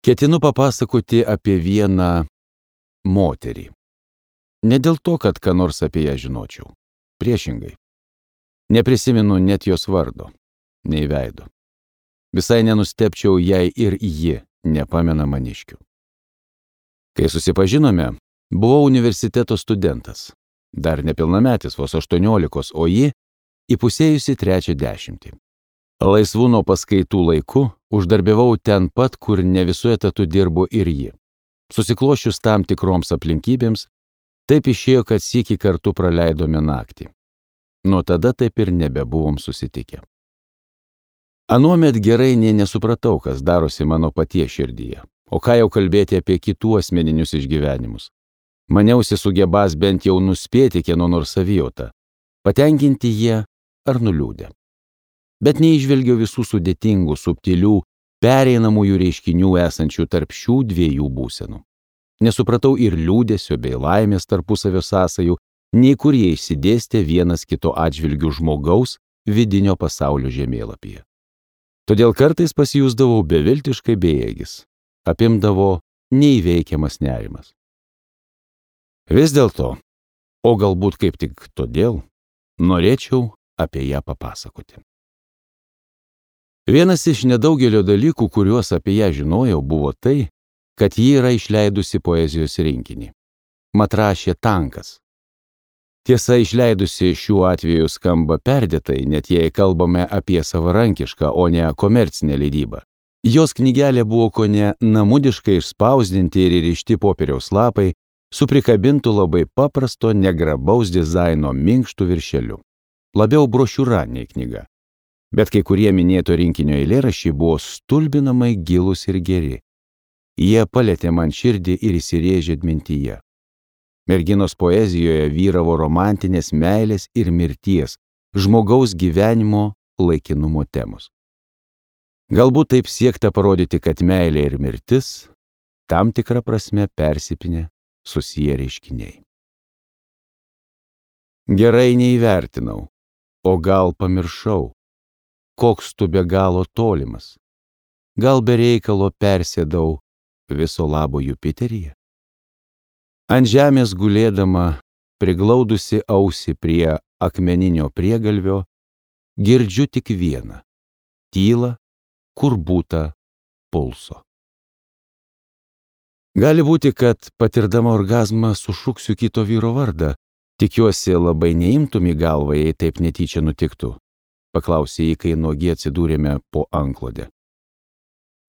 Ketinu papasakoti apie vieną moterį. Ne dėl to, kad ką nors apie ją žinočiau. Priešingai. Neprisimenu net jos vardo, nei veido. Visai nenustepčiau, jei ir ji nepamena maniškių. Kai susipažinome, buvau universiteto studentas. Dar nepilnametis, vos 18, o ji įpusėjusi 30. Laisvų nuo paskaitų laiku uždarbiavau ten pat, kur ne visu etatu dirbo ir ji. Susiklošius tam tikroms aplinkybėms, taip išėjo, kad sykį kartu praleidome naktį. Nuo tada taip ir nebebuvom susitikę. Anuomet gerai nė nesupratau, kas darosi mano paties širdyje, o ką jau kalbėti apie kitų asmeninius išgyvenimus. Maniausi sugebas bent jau nuspėti kieno nors savijautą, patenkinti jie ar nuliūdę. Bet neįžvelgiau visų sudėtingų, subtilių, pereinamųjų reiškinių esančių tarp šių dviejų būsenų. Nesupratau ir liūdesio bei laimės tarpusavio sąsajų, nei kur jie išsidėstė vienas kito atžvilgių žmogaus vidinio pasaulio žemėlapyje. Todėl kartais pasijusdavau beviltiškai bejėgis, apimdavo neįveikiamas nerimas. Vis dėlto, o galbūt kaip tik todėl, norėčiau apie ją papasakoti. Vienas iš nedaugelio dalykų, kuriuos apie ją žinojau, buvo tai, kad ji yra išleidusi poezijos rinkinį. Mat rašė tankas. Tiesa, išleidusi šiuo atveju skamba perdėtai, net jei kalbame apie savarankišką, o ne komercinę leidybą. Jos knygelė buvo kone namudiškai išspausdinti ir įrišti popieriaus lapai, su prikabintu labai paprasto, negrabaus dizaino minkštų viršeliu. Labiau brošiūra nei knyga. Bet kai kurie minėto rinkinio eilėraščiai buvo stulbinamai gilūs ir geri. Jie palėtė man širdį ir įsirėžė atmintyje. Merginos poezijoje vyravo romantinės meilės ir mirties, žmogaus gyvenimo laikinumo temos. Galbūt taip siekta parodyti, kad meilė ir mirtis tam tikrą prasme persipinę susiję reiškiniai. Gerai neįvertinau, o gal pamiršau, koks tu be galo tolimas. Gal be reikalo persėdau viso labo Jupiteryje? Ant žemės gulėdama, priglaudusi ausį prie akmeninio priegalvio, girdžiu tik vieną – tylą, kur būta pulso. Gali būti, kad patirdama orgazmą sušuksiu kito vyro vardą. Tikiuosi, labai neimtum į galvą, jei taip netyčia nutiktų. Paklausė jį, kai nuogi atsidūrėme po antklode.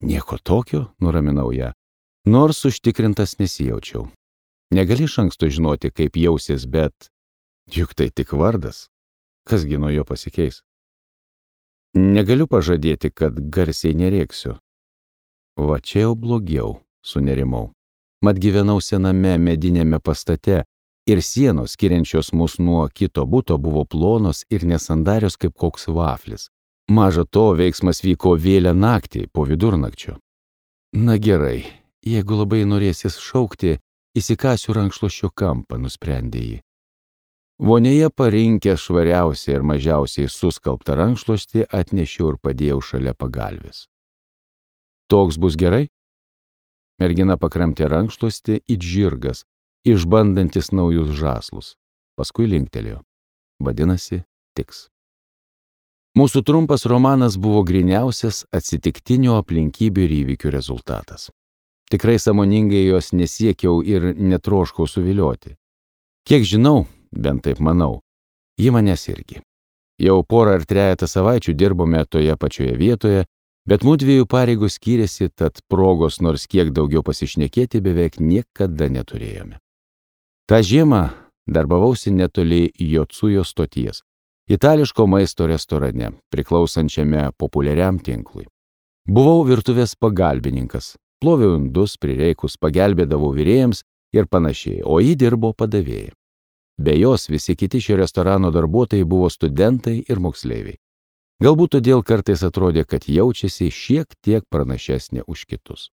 Nieko tokio, nuraminau ją, nors užtikrintas nesijaučiau. Negali iš anksto žinoti, kaip jausies, bet juk tai tik vardas. Kasgi nuo jo pasikeis? Negaliu pažadėti, kad garsiai nerėksiu. Va čia jau blogiau, sunerimau. Mat gyvenau sename medinėme pastate ir sienos, skiriančios mus nuo kito buto, buvo plonos ir nesandarios kaip koks vaflis. Maža to, veiksmas vyko vėlią naktį po vidurnakčio. Na gerai, jeigu labai norėsis šaukti, įsikasiu rankšluosčio kampą, nusprendė ji. Vonėje parinkę švariausiai ir mažiausiai suskalbtą rankšluostį atnešiau ir padėjau šalia pagalvės. Toks bus gerai? Mergina pakramtė rankšluostį it žirgas, išbandantis naujus žąslus. Paskui linktelėjo. Vadinasi, tiks. Mūsų trumpas romanas buvo gryniausias atsitiktinių aplinkybių ir įvykių rezultatas. Tikrai sąmoningai jos nesiekiau ir netroškau suvilioti. Kiek žinau, bent taip manau, ji manęs irgi. Jau porą ar trejetą savaičių dirbome toje pačioje vietoje, bet mudviejų pareigos skyrėsi, tad progos nors kiek daugiau pasišnekėti beveik niekada neturėjome. Ta žiemą darbavausi netoli Jocujo stoties, itališko maisto restorane, priklausančiame populiariam tinklui. Buvau virtuvės pagalbininkas, ploviau indus, prireikus pagelbėdavau virėjams ir panašiai, o ji dirbo padavėja. Be jos visi kiti šio restorano darbuotojai buvo studentai ir moksleiviai. Galbūt todėl kartais atrodė, kad jaučiasi šiek tiek pranašesnė už kitus.